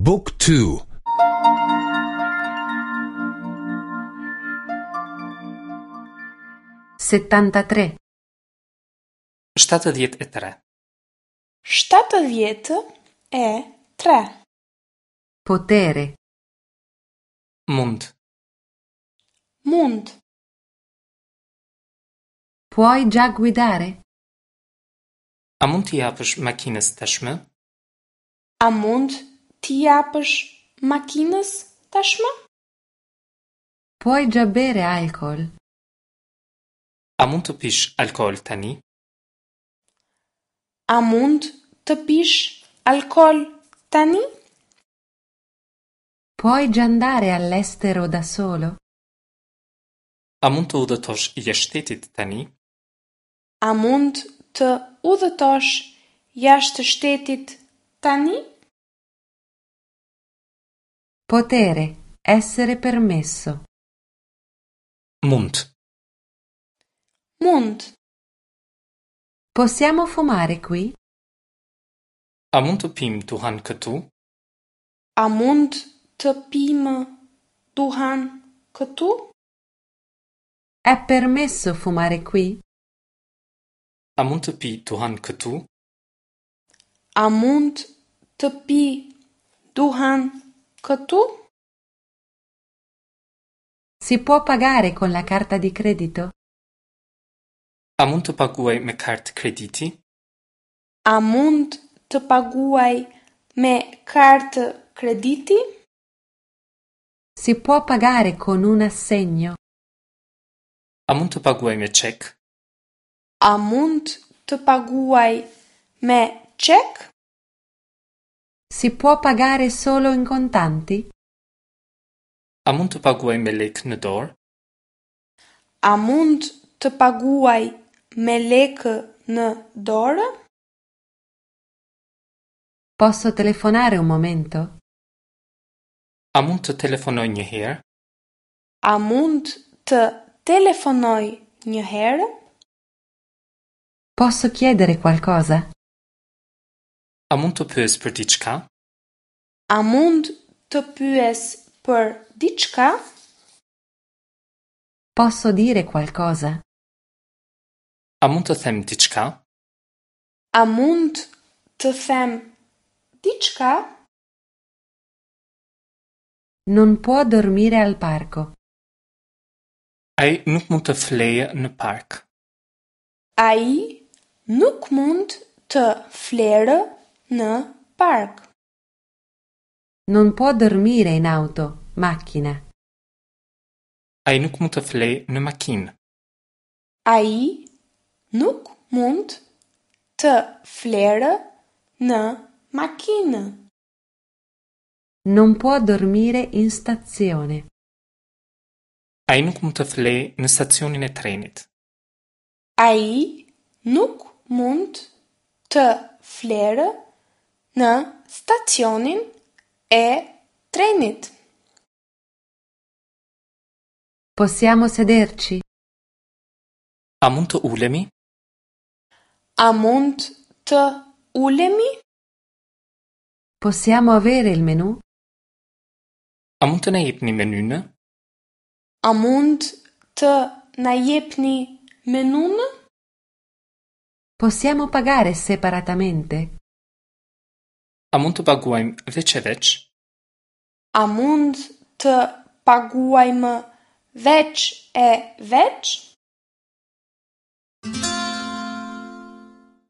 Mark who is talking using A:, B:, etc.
A: บุ๊กทู
B: 73.
C: 73.
D: 73.
B: Potere.
C: Mund.
D: Mund.
B: Puoi già guidare?
C: A mund t'i japësh makinës tashmë?
D: A mund t'i japësh makinës tashmë?
B: Puoi già bere alcol?
C: A mund të pish alkool tani?
D: A mund të pish alkool tani?
B: Puoi già andare all'estero da solo?
C: A mund të udhëtosh jashtë shtetit tani?
D: A mund të udhëtosh jashtë shtetit tani?
B: Potere, essere permesso.
C: Mund.
D: Mund.
B: Possiamo fumare qui?
C: A mund të pimë duhan këtu?
D: A mund të pimë duhan këtu?
B: È permesso fumare qui?
C: A mund të pi duhan këtu?
D: A mund të pi duhan këtu?
B: Si può pagare con la carta di credito?
C: A mund të paguaj me kartë krediti?
D: A mund të paguaj me kartë krediti?
B: Si può pagare con un assegno?
C: A mund të paguaj me çek?
D: A mund të paguaj me çek?
B: Si può pagare solo in contanti?
C: A mund të paguaj me lekë në dorë?
D: A mund të paguaj me lekë në dorë?
B: Posso telefonare un momento?
C: A mund të telefonoj një herë?
D: A mund të telefonoj një herë?
B: Posso chiedere qualcosa?
C: A mund të pyes për diçka?
D: A mund të pyes për diçka?
B: Posso dire qualcosa?
C: A mund të them diçka?
D: A mund të them diçka?
B: Non può dormire al parco.
C: Ai nuk mund të flejë në park.
D: Ai nuk mund të flerë në park.
B: Non può dormire in auto, macchina.
C: Ai nuk mund të flejë në makinë.
D: Ai nuk mund të flerë në makinë.
B: Non può dormire in stazione.
C: Ai nuk mund të flejë në stacionin e trenit.
D: Ai nuk mund të flerë në stacionin e trenit.
B: Possiamo sederci?
C: A mund të ulemi?
D: A mund të ulemi?
B: Possiamo avere il menù?
C: A mund të na jepni menynë?
D: A mund të na jepni menunë?
B: Possiamo pagare separatamente?
C: A mund të paguajmë veç e veç?
D: A mund të paguajmë veç e veç?